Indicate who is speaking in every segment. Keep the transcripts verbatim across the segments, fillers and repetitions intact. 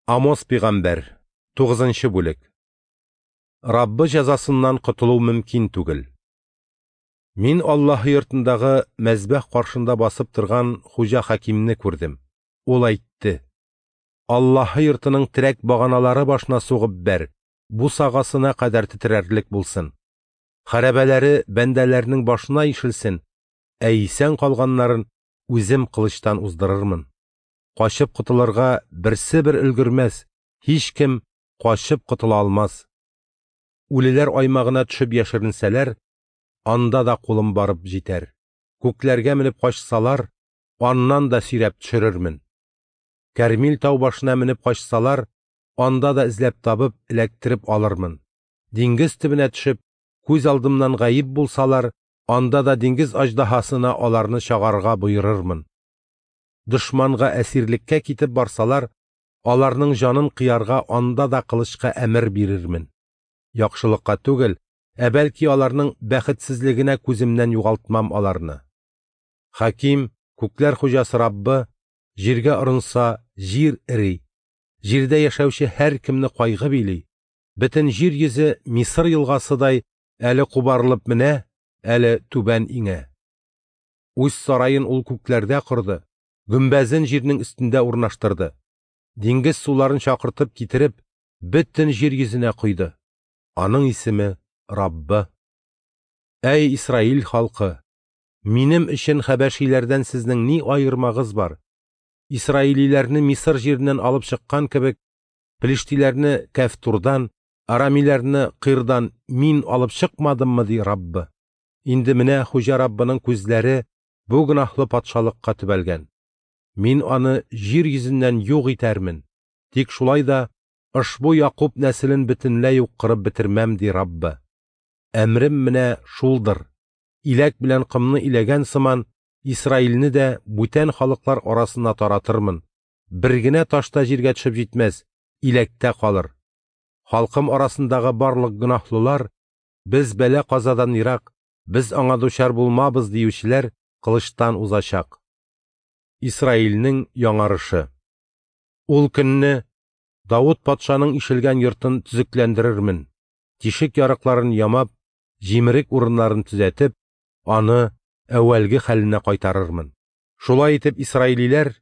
Speaker 1: Амос пигамбәр, тугызынчы бүлек. Раббы җәзасыннан котылу мөмкин түгел. Мин Аллаһы йортындагы мәзбәх каршында басып торган Хуҗа Хакимне күрдем. Ул әйтте: Аллаһы йортының терәк баганалары башына сугып бәр, бусагасына кадәр тетрәрлек булсын. Хәрабәләре бәндәләрнең башына ишелсен, ә исән калганнарын үзем кылычтан уздырырмын. Качып котылырга берсе бер өлгермәс, һичкем качып котыла алмас. Үлеләр аймагына төшеп яшеренсәләр, анда да кулым барып җитәр. Күкләргә менеп качсалар, аннан да сөйрәп төшерермен. Кәрмил тау башына менеп качсалар, анда да эзләп табып, эләктереп алырмын. Диңгез төбенә төшеп, күз алдымнан гаип булсалар, анда да диңгез аждаһасына аларны чагарга боерырмын. Дошманга әсирлеккә китеп барсалар, аларның җанын кыярга анда да кылычка әмер бирермен. Яхшылыкка түгел, ә бәлки аларның бәхетсезлегенә күземнән югалтмам аларны. Хаким, күкләр хуҗасы Раббы, җиргә орынса, җир эри. Җирдә яшәүче һәркемне кайгы били. Бөтен җир йөзе Мисыр елгасыдай әле кубарылып менә, әле түбән иңә. Үз сараен ул күкләрдә корды, гөмбәзен җирнең өстендә урнаштырды. Диңгез суларын чакыртып китереп, бөтен җир йөзенә койды. Аның исеме Раббы. Әй Исраил халкы, минем өчен хәбәшиләрдән сезнең ни аермагыз бар? Исраилиләрне Мисыр җиреннән алып чыккан кебек, Пелештиләрне Кәфтурдан, Арамиләрне Кырдан мин алып чыкмадыммы, ди Раббы. Инде менә Хуҗа Раббының күзләре бу гөнаһлы патшалыкка төбәлгән. Мин аны җир йөзеннән юк итәрмен. Тик шулай да ошбу Якуб нәселен бөтенләй үк кырып бетермәм, ди Раббы. Әмрем менә шулдыр. Иләк белән комны иләгән сыман Исраилне дә бүтән халыклар арасына таратырмын. Бер генә таш та җиргә төшеп җитмәс, иләктә калыр. Халкым арасындагы барлык гөнаһлылар, без бәла-казадан ерак, без аңа дучар булмабыз диючеләр кылычтан узачак. Исраилнең яңарышы. Ул көнне Давыт патшаның ишелгән йортын төзекләндерермен. Тишек ярыкларын ямап, җимерек урыннарын төзәтеп, аны әүвәлге хәленә кайтарырмын. Шулай итеп исраилиләр,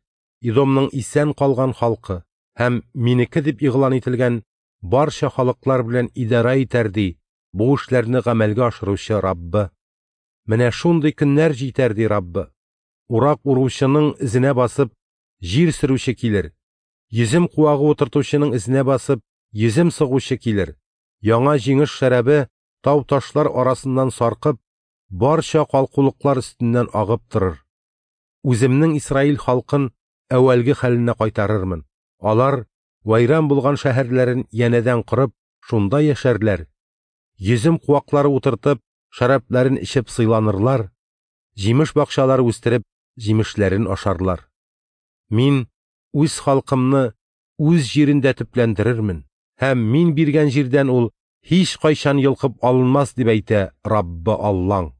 Speaker 1: Идомның исән калган халкы һәм минеке дип игълан ителгән барча халыклар белән идарә итәр, ди бу эшләрне гамәлгә ашыручы Раббы. Менә шундый көннәр җитәр, ди Раббы. Урак уручының эзенә басып, җир сөрүче килер. Йөзем куагы утыртучының эзенә басып, йөзем сыгучы килер. Яңа җиңеш шәрабе тау-ташлар арасыннан саркып, барча калкулыклар өстеннән агып торыр. Үземнең Исраил халкын әүвәлге хәленә кайтарырмын. Алар вайран булган шәһәрләрен янәдән корып, шунда яшәрләр. Йөзем куаклары утыртып, шәрабларын эчеп сыйланырлар. Җимеш бакчалары үстереп, җимешләрен ашарлар. Мин үз халкымны үз җирендә төпләндерермен, һәм мин биргән җирдән ул һич кайчан йолкып алынмас, дип әйтә Раббы Аллаң.